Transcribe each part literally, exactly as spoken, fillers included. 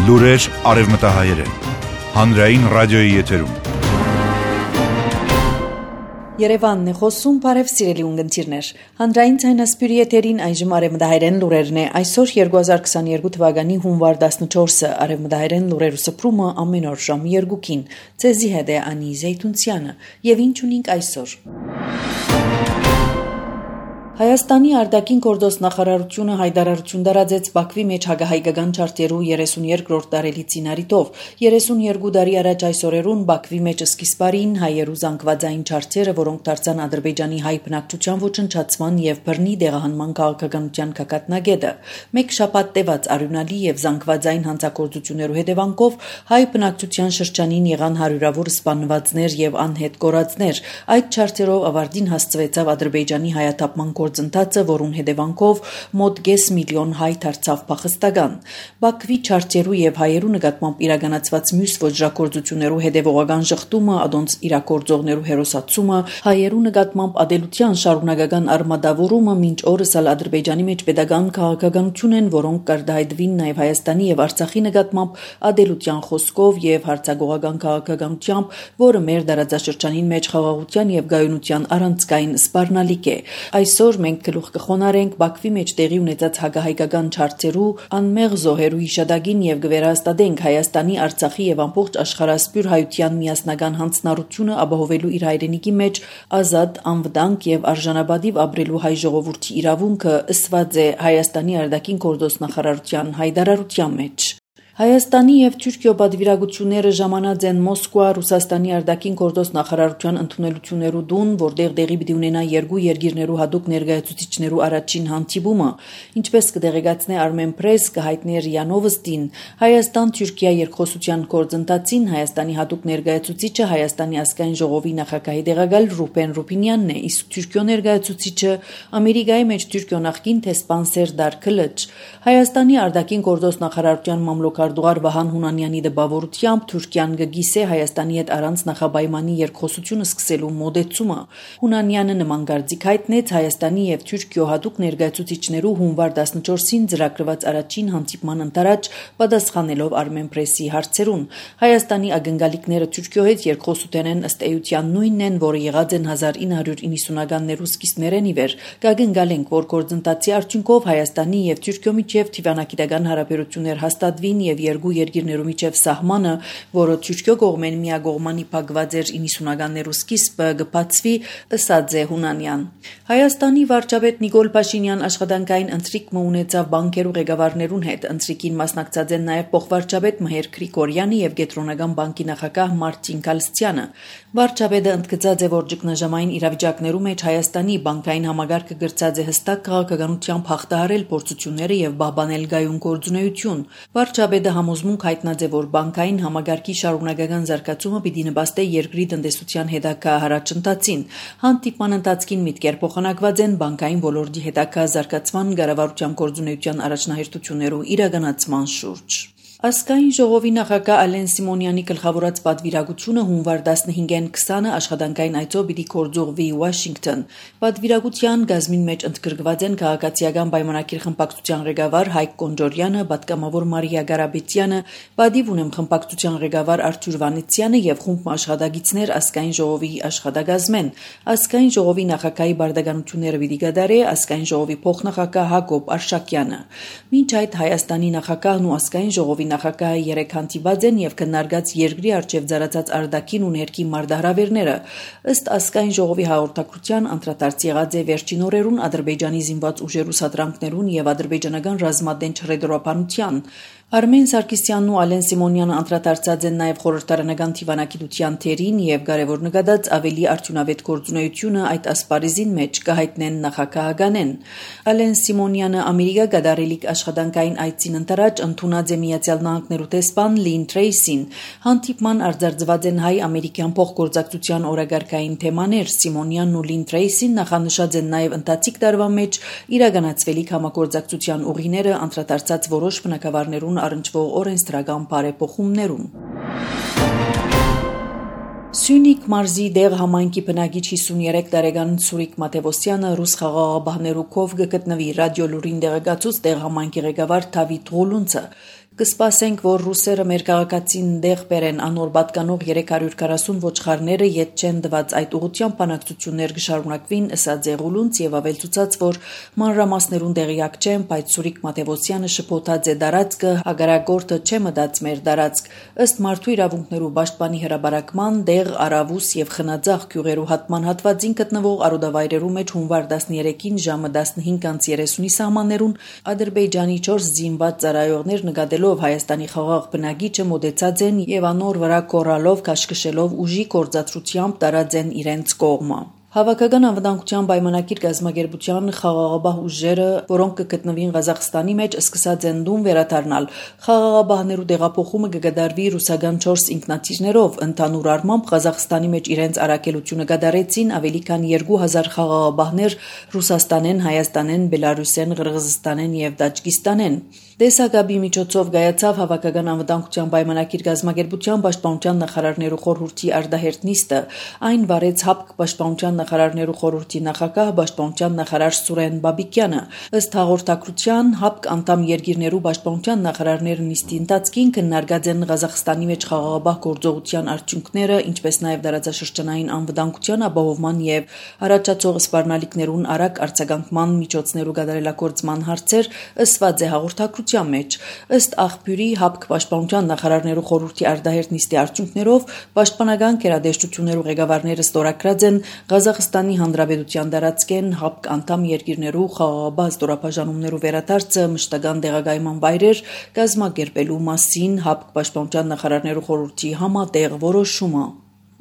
Լուրեր արևմտահայերեն, հանրային ռադիոյի եթերում։ Երևանն է խոսում, բարև սիրելի ունգընտիրներ։ Հանրային ցայնասպյուրի եթերին այժմ արևմտահայերեն լուրերն է։ Այսօր երկու հազար քսաներկու թվականի հունվար տասնչորսը արևմտահայերեն լուրերու սփռումը ամեն օր ժամը երկուքին։ Ցեզի հետ է Անի Զեյթունցյանը, եւ ինչ ունենք այսօր։ Հայաստանի արտաքին գործոս նախարարությունը հայտարարություն տարածեց Բաքվի մեջ հակահայկական չարտերու երեսունյոթերորդ տարելիցին առիթով։ երեսունյոթ տարի առաջ այս օրերուն Բաքվի մեջ սկիզբարին հայերու զանգվածային չարտերը, որոնք դարձան Ադրբեջանի հայ բնակչության ոչնչացման եւ բռնի դեղահանման քաղաքականության կակատնագետը։ Մեկ շաբաթ տևած արյունալի եւ զանգվածային հանցագործություններու հետևանքով հայ բնակչության շրջանին եղան հարյուրավոր սպանվածներ եւ անհետ կորածներ։ Այդ չարտերով ավարտին հասցվեցավ Ադրբեջանի հայաթափման գործընթացը, որուն հետևանքով մոտ կես միլիոն հայ դարձավ փախստական։ Բաքվի չարտերու եւ հայերու նկատմամբ իրականացված մյուս ոճրագործություններու հետևողական շղթումը, ադոնց իրագործողներու հերոսացումը, հայերու նկատմամբ ադելության շարունակական արմատավորումը մինչ օրս ալ Ադրբեջանի մեջ pedagogan քաղաքականություն են, որոնք կարգահայտվին նաեւ Հայաստանի եւ Արցախի նկատմամբ ադելության խոսքով եւ հարցագողական քաղաքականությամբ, որը մեր դարաձաշրջանին մեջ խաղաղության եւ գայունության առանցքային սպառնալիք է։ Այսօր մենք գլուխ կխոնարենք Բաքվի մեջ տեղի ունեցած հակահայկական չարտերու անմեղ զոհերու հիշադակին եւ կվերահաստատենք Հայաստանի, Արցախի եւ ամբողջ աշխարհասփյուր հայության միասնական հանձնառությունը ապահովելու իր հայրենիքի մեջ ազատ, անվտանգ եւ արժանապատիվ ապրելու հայ ժողովրդի իրավունքը ըսված է Հայաստանի արտաքին գործոս նախարարության հայտարարության մեջ։ Հայաստանի եւ Թուրքիո պատվիրակությունները ժամանած են Մոսկվա Ռուսաստանի արտաքին գործոս նախարարության ընդունելություններու դուն, որտեղ դեղի պիտի ունենա երկու երկիրներու հատուկ ներկայացուցիչներու առաջին հանդիպումը, ինչպես կդեղեկացնե Armen Press կհայտնի ՌԻԱ Նովոստին, Հայաստան-Թուրքիա երկխոսության գործընթացին Հայաստանի հատուկ ներկայացուցիչը Հայաստանի ազգային ժողովի նախագահի տեղակալ Ռուբեն Ռուբինյանն է, իսկ Թուրքիո ներկայացուցիչը Ամերիկայի մեջ Թուրքիո նախկին տեսփան Սերդար Քլիչ։ Հայաստանի արտաքին գործոս նախարարության մամլոք Արտուղար Վահան Հունանյանի դպավորությամբ Թուրքիան կգիսե Հայաստանի հետ առանց նախաբայմանի երկխոսությունը սկսելու մոդեցումը։ Հունանյանը նման կարծիք հայտնեց Հայաստանի եւ Թուրքիո հատուկ ներկայացուցիչներու հունվար տասնչորսին ծրագրված առաջին հանդիպման ընթരാճ պատասխանելով Armen Press-ի հարցերուն։ Հայաստանի ակնկալիքները Թուրքիո հետ երկխոսության են ըստ էության նույնն են, որը եղած են հազար ինը հարյուր իննսունականներու սկիզբներեն ի վեր։ Կակնկալենք, որ գործընթացի արդյունքով Հայաստանի եւ Թուրքիո միջև դիվանագիտական հարաբերություններ հաստատվին եւ երկու երկիրներու միջև սահմանը, որը Թուրքիո կողմեն միակողմանի փակված էր իննսունականներու սկիզբը կբացվի, ըսած է Հունանյան։ Հայաստանի վարչապետ Նիկոլ Փաշինյան աշխատանքային ընթրիք ունեցավ բանկերու ղեկավարներուն հետ։ Ընթրիքին մասնակցած են նաեւ փոխվարչապետ Մհեր Գրիգորյանը եւ Կենտրոնական բանկի նախագահ Մարտին Կալստյանը։ Վարչապետը ընդգծած է, որ ճգնաժամային իրավիճակներու մեջ Հայաստանի բանկային համագարկը գրծած է հստակ քաղաքականությամբ հաղթահարել փորձությունները եւ պահպանել գայուն գործունեություն։ Վարչապետը համոզմունք հայտնած է, որ բանկային համագարկի շարունակական զարգացումը պիտի նպաստի երկրի տնտեսության հետագա առաջընթացին։ Հանդիպման ընթացքին միտքեր փոխանակված են բանկային ոլորտի հետագա զարգացման, կառավարության գործունեության առաջնահերթություններու իրականացման շուրջ։ Ազգային ժողովի նախագահ Ալեն Սիմոնյանի գլխավորած պատվիրակությունը հունվար տասնհինգին քսանը աշխատանքային այցով պիտի գործուղվի Վաշինգտոն։ Պատվիրակության գազմին մեջ ընդգրկված են քաղաքացիական պայմանագիր խմբակցության ղեկավար Հայկ Կոնջորյանը, պատգամավոր Մարիա Գարաբետյանը, պատիվ ունեմ խմբակցության ղեկավար Արթուր Վանեցյանը եւ խումբ աշխատակիցներ ազգային ժողովի աշխատակազմեն։ Ազգային ժողովի նախագահի բարդականությունները պիտի կատարի ազգային ժողովի փոխնախագահ Հակոբ Արշակյանը։ Մինչ այդ Հայաստանի նախագահն ու ազգային ժողովի նախագահը երեք հանդիպած են եւ քննարկած երկրի արչեւ ծառացած արտաքին ու ներքին մարտահրավերները։ Ըստ ազգային ժողովի հաղորդակցության անդրադարձ եղած է վերջին օրերուն Ադրբեջանի զինված ուժերու սադրանքներուն եւ ադրբեջանական ռազմատենչ հրետորաբանության։ Արմեն Սարգսյանն ու Ալեն Սիմոնյանը անդրադարձած են նաև խորհրդարանական դիվանագիտության թերին եւ կարևոր նկատած ավելի արդյունավետ գործունեությունը այդ ասպարեզին մեջ կհայտնեն նախագահականեն։ Ալեն Սիմոնյանը Ամերիկա գդարելիք աշխատանքային այցին ընթരാճ ընդունած է Միացյալ Նահանգներու տեսփան Լին Թրեյսին։ Հանդիպման արձարծված են հայ-ամերիկյան փոխգործակցության օրագարկային թեմաներ։ Սիմոնյանն ու Լին Թրեյսին նախանշած են նաև ընթացիկ տարվա մեջ իրականացվելիք համագործակցության ուղիները անդրադարձած որոշ բնակավարներուն առնչվող օրենսդրական բարեփոխումներուն։ Սյունիք մարզի դեղ համայնքի բնակիչ հիսունյոթ տարեկան Սուրիկ Մաթևոսյանը ռուս խաղաղապահներու կողմ գտնվի ռադիոլուրին դեղեկացուց դեղ համայնքի ղեկավար Դավիթ Ղուլունցը։ Կսպասենք, որ ռուսերը մեր քաղաքացին դեղ բերեն անոր պատկանող երեք հարյուր քառասուն ոչխարները ետ չեն դված այդ ուղղությամբ բանակցություններ կշարունակվին, ըսած Զեղուլունց եւ ավելցուցած, որ մանրամասներուն տեղյակ չեն, բայց Սուրիկ Մաթեւոսյանը շփոթած է դարածքը, հագարագորտը չէ մտած մեր դարածք, ըստ մարդու իրավունքներու պաշտպանի հրաբարակման դեղ Արավուս եւ Խնաձախ գյուղերու հատման հատվածին գտնվող արոդավայրերու մեջ հունվար տասներեքին ժամը տասնհինգ երեսունի սահմաններուն Ադրբեջանի չորս զինված ծառայողներ նկատելով Հայաստանի խաղաղ բնագիճը մոտեցած են եւ անոր վրա կորալով քաշքշելով ուժի կորցածությամբ տարած են իրենց կողմը։ Հավաքական անվտանգության պայմանագիր գազագերբության խաղաղաբահ ուժերը, որոնք կգտնվին Ղազախստանի մեջ, սկսած են դուն վերադառնալ։ Խաղաղաբահներու տեղափոխումը կգդարվի ռուսական չորս ինքնաթիռներով, ընդհանուր առմամբ Ղազախստանի մեջ իրենց առաքելությունը կդարեցին ավելի քան երկու հազար խաղաղաբահներ Ռուսաստանեն, Հայաստանեն, Բելարուսեն, Ղրղզստանեն եւ Տաջիկստանեն։ Տեսակաբի միջոցով գայացավ հավաքական անվտանգության պայմանագիր գազագերբության պաշտպանության նախարարներու խորհրդի արդահերտ նիստը, այն վարեց ՀԱՊԿ պաշտպանության նախարարներու խորհրդի նախագահ պաշտպանության նախարար Սուրեն Բաբիկյանը։ Ըստ հաղորդակցության ՀԱՊԿ անդամ երկիրներու պաշտպանության նախարարները նիստի ընթացքին քննարկած են Ղազախստանի մեջ խաղաղաբահ գործողության արդյունքները, ինչպես նաև դարաձաշրջանային անվտանգության ապահովման եւ առաջացող սպառնալիքներուն արագ արձագանքման միջոցներու գդարելագործման հարցեր, ըսված է հաղորդակցության մեջ։ Ըստ աղբյուրի ՀԱՊԿ պաշտպանության նախարարներու խորհրդի արդահերտ նիստի արդյունքներով պաշտպանական գերադեսչություններու ղեկավարները ստորագրած են Ղազախստանի Հանրապետության դարածքեն ՀԱՊԿ անդամ երկիրներու խաղաղաբահ ստորաբաժանումներու վերադարձը մշտական տեղակայման վայրեր կազմակերպելու մասին ՀԱՊԿ պաշտպանության նախարարներու խորհրդի համատեղ որոշումը։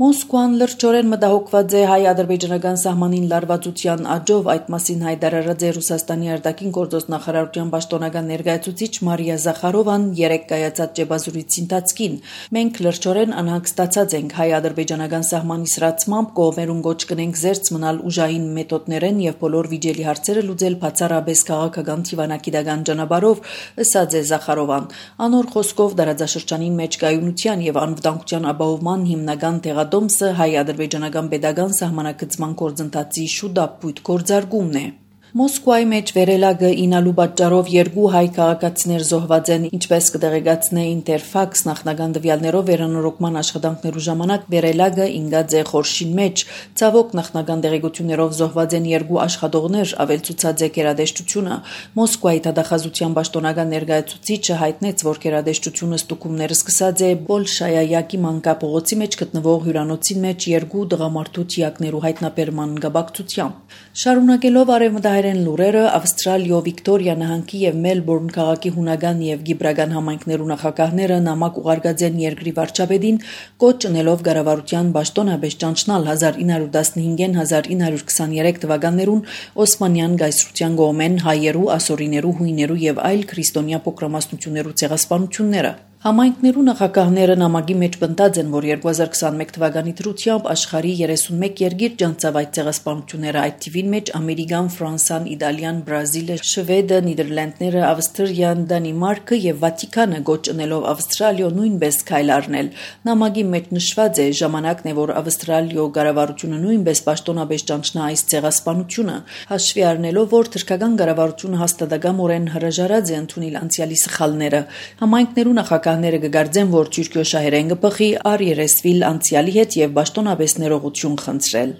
Մոսկվան լրջորեն մտահոգված է հայ-ադրբեջանական սահմանին լարվածության աճով, այդ մասին հայտարարած է Ռուսաստանի արտաքին գործոս նախարարության պաշտոնական ներկայացուցիչ Մարիա Զախարովան երեկ կայացած ճեպազրույցի ընթացքին։ Մենք լրջորեն անհանգստացած ենք հայ-ադրբեջանական սահմանի սրացմամբ կողմերուն գոչ կնենք զերծ մնալ ուժային մեթոդներեն եւ բոլոր վիճելի հարցերը լուծել բացառապես քաղաքական թիվանակիտական ճանապարհով, ըսած է Զախարովան։ Անոր խոսքով դարաձաշրջանին մեջ կայունության եւ անվտանգության ապահովման հիմնական տեղադոմսը հայ-ադրբեջանական pedagogan սահմանակցման գործընթացի շուտապույտ գործարկումն է։ Մոսկվայի մեջ վերելագը ինալու պատճառով երկու հայ քաղաքացիներ զոհված են, ինչպես կտեղեկացնե Ինտերֆաքս նախնական տվյալներով վերանորոգման աշխատանքներու ժամանակ վերելագը ինգած է խորշին մեջ։ Ցավոք նախնական տեղեկություններով զոհված են երկու աշխատողներ, ավելցուցած է գերադեսչությունը։ Մոսկվայի դատախազության պաշտոնական ներկայացուցիչը հայտնեց, որ գերադեսչությունը ստուգումները սկսած է Բոլշայայակի մանկապողոցի մեջ գտնվող հյուրանոցին մեջ երկու տղամարդու թիակներու հայտնաբերման գաբակցությամբ։ Շարունակելով արևմտահայ լուրերը Ավստրալիո Վիկտորիա նահանգի եւ Մելբուրն քաղաքի հունական եւ գիբրական համայնքներու նախագահները նամակ ուղարկած են երկրի վարչապետին կոչ ունելով կառավարության պաշտոնապես ճանչնալ հազար ինը հարյուր տասնհինգ հազար ինը հարյուր քսաներեք թվականներուն Օսմանյան գայսրության գոմեն հայերու, ասորիներու, հույներու եւ այլ քրիստոնյա փոքրամասնություններու ցեղասպանությունները։ Համայնքներու նախագահները նամակի մեջ պնդած են, որ երկու հազար քսանմեկ թվականի դրությամբ աշխարհի երեսունմեկ երկիր ճանցավ այդ ցեղասպանությունները, այդ թիվին մեջ Ամերիկան, Ֆրանսան, Իտալիան, Բրազիլը, Շվեդը, Նիդերլանդները, Ավստրիան, Դանիմարկը եւ Վատիկանը գոչ ունելով Ավստրալիո նույնպես քայլ առնել։ Նամակի մեջ նշված է ժամանակն է, որ Ավստրալիո կառավարությունը նույնպես պաշտոնապես ճանչնա այս ցեղասպանությունը, հաշվի առնելով, որ թրքական կառավարությունը հաստատակամորեն հրաժարած է ընդունել անցյալի սխալները։ Համայնքներու նախագահ Ները կգարձեն, որ Թուրքիո շահերեն կփխի առ երեսվիլ անցյալի հետ եւ պաշտոնապես ներողություն խնդրել։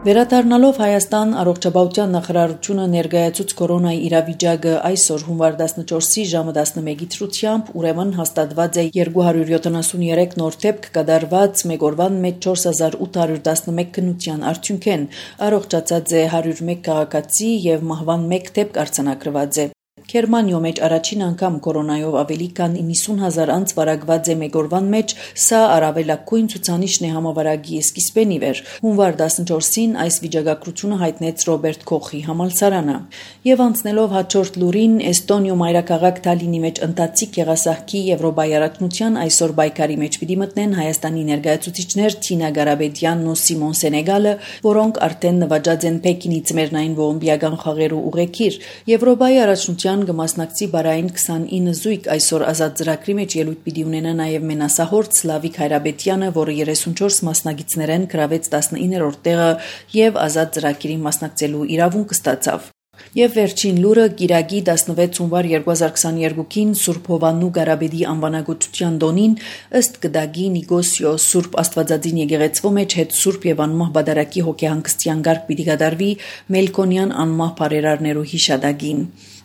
Վերադառնալով Հայաստան առողջապահության նախարարությունը ներկայացուց կորոնայի իրավիճակը այսօր հունվար տասնչորսի ժամը տասնմեկի դրությամբ ուրեմն հաստատված է երկու հարյուր յոթանասուններեք նոր դեպք կդարված մեկ օրվան մեջ չորս հազար ութ հարյուր տասնմեկ քննության արդյունքեն առողջացած է հարյուր մեկ քաղաքացի եւ մահվան մեկ դեպք արձանագրված է։ Գերմանիո մեջ առաջին անգամ կորոնայով ավելի քան իննսուն հազար անց վարակված է մեկ օրվան մեջ, սա առավելագույն ցուցանիշն է համավարակի սկիզբեն ի վեր։ Հունվար տասնչորսին այս վիճակագրությունը հայտնեց Ռոբերտ Քոխի համալսարանը։ Եվ անցնելով հաջորդ լուրին, Էստոնիո մայրաքաղաք Թալինի մեջ ընթացիկ եղասահքի Եվրոպայի առաջնության այսօր բայկարի մեջ պիտի մտնեն Հայաստանի ներկայացուցիչներ Թինա Գարաբեդյանն ու Սիմոն Սենեգալը, որոնք արդեն նվաճած են Պեկինի ծմերնային օլիմպիական խաղերու ուղեկիր։ Եվրոպայի առաջնության կմասնակցի բարային քսանինը զույգ այսօր ազատ ծրագրի մեջ ելույթ պիտի ունենա նաև մենասահորդ Սլավիկ Հայրաբետյանը, որը երեսունչորս մասնակիցներեն գրավեց տասնիններորդ տեղը եւ ազատ ծրագրին մասնակցելու իրավունք ստացավ։ Եվ վերջին լուրը Կիրակի տասնվեց հունվար երկու հազար քսաներկուին Սուրբ Հովաննու Գարաբեդի անվանագոթության տոնին ըստ գդագի Նիկոսիո Սուրբ Աստվածածին եկեղեցվո մեջ հետ Սուրբ եւ անմահ բադարակի հոգեհանգստյան գարկ պիտի կատարվի Մելքոնյան անմահ բարերարներու հիշադակին։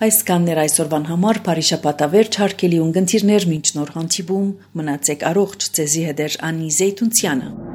Այսքանն էր այսօրվան համար Փարիշապատավերջ հարկելի ունգընտիրներ մինչ նոր հանդիպում մնացեք առողջ, ձեզի հետ էր Անի Զեյթունցյանը։